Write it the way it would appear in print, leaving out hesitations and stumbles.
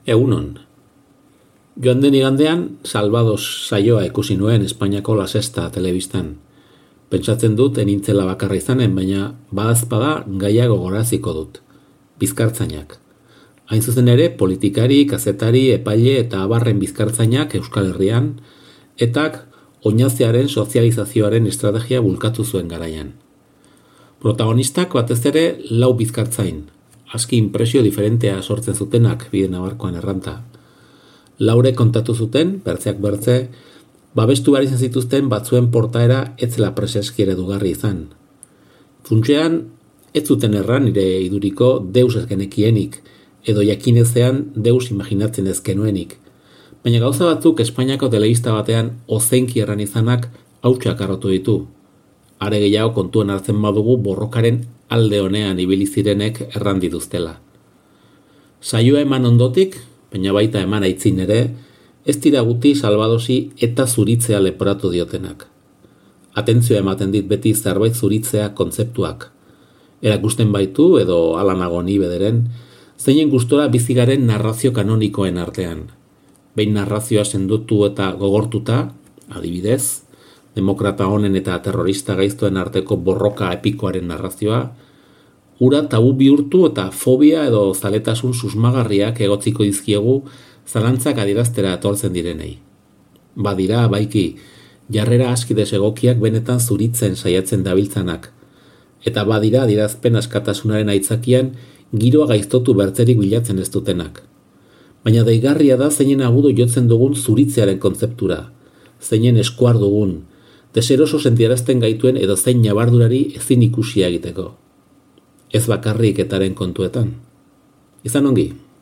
Egunon. Joan den igandean, Salvados saioa ikusi nuen Espainiako La Sexta telebistan. Pentsatzen dut enintzela bakarra izanen, baina badazpada gaia gogoraziko dut. Bizkartzainak. Hain zuzen ere, politikari, kazetari, epaile eta abarren bizkartzainak Euskal Herrian, etak oinazearen sozializazioaren estrategia bulkatu zuen garaian. Protagonistak batez ere 4 bizkartzain, aski inpresio diferentea sortzen zutenak bide nabarkoan erranta. 4 kontatu zuten, bertzeak bertze, babestu behar izan zituzten batzuen portaera ez zela preseski eredugarri izan. Funtsean, ez zuten erran nire iduriko deus ez genekienik, edo jakinezean deus imaginatzen ez genuenik. Baina gauza batzuk Espainiako telebista batean ozenki erran izanak hautsak arrotu ditu. Are gehiago kontuan hartzen badugu borrokaren alde honean ibili zirenek erran dituztela. Saioa eman ondotik, baina baita eman aitzin ere, ez dira guti Salvadosi eta zuritzea leporatu diotenak. Atentzioa ematen dit beti zerbait zuritzea kontzeptuak. Erakusten baitu, edo hala nago ni bederen, zeinen gustora bizigaren narrazio kanonikoen artean. Behin narrazioa sendotu eta gogortuta, adibidez, demokrata honen eta terrorista gaiztoen arteko borroka epikoaren narrazioa, ura tabu bihurtu eta fobia edo zaletasun susmagarriak egotziko dizkiegu zalantzak adieraztera etortzen direnei. Badira, baiki, jarrera aski desegokiak benetan zuritzen saiatzen dabiltzanak, eta badira adierazpen askatasunaren aitzakian giroa gaiztotu bertzerik bilatzen ez dutenak. Baina deigarria da zeinen agudo jotzen dugun zuritzearen kontzeptura, zeinen eskuar dugun, deseroso sentiarazten gaituen edo zein nabardurari ezin ikusia egiteko. Ez bakarrik etaren kontuetan. Izan ongi.